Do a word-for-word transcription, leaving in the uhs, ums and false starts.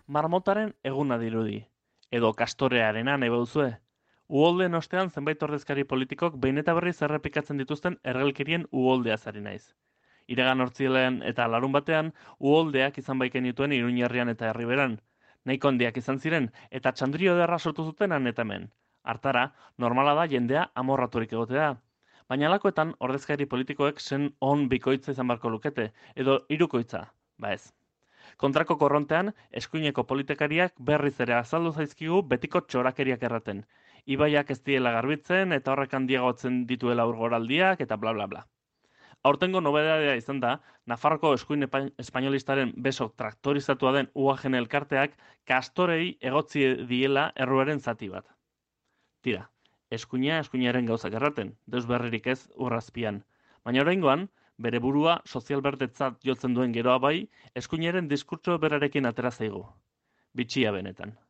Marmotaren eguna dirudi, edo kastorearena nahi baduzue. Uholdeen ostean zenbait ordezkari politikok behin eta berriz errepikatzen dituzten ergelkerien uholdeaz ari naiz. Iragan hortzilean eta larun batean, uholdeak izan baiken dituen Iruñerrian eta Herriberan. Nahiko handiak izan ziren, eta txandrio ederra sortu zuten han eta hemen. Hartara, normala da jendea amorraturik egotea. Baina alakoetan, ordezkari politikoek zen on bikoitza izan barko lukete, edo hirukoitza, ba ez. Kontrako korrontean, eskuineko politikariak berriz ere azaldu zaizkigu betiko txorakeriak erraten. Ibaiak ez diela garbitzen eta horrek handiagotzen dituela urgoraldiak eta bla bla bla. Aurtengo nobedadea izan da, Nafarroko eskuin espainolistaren beso traktorizatua den U A G elkarteak kastorei egotzi diela erruaren zati bat. Tira, eskuina eskuinaren gauzak erraten, deus berririk ez urrazpian. Baina oraingoan, bere burua sozialbertetzat jotzen duen geroa bai, eskuinaren diskurtso berarekin atera zaigu. Bitxia benetan.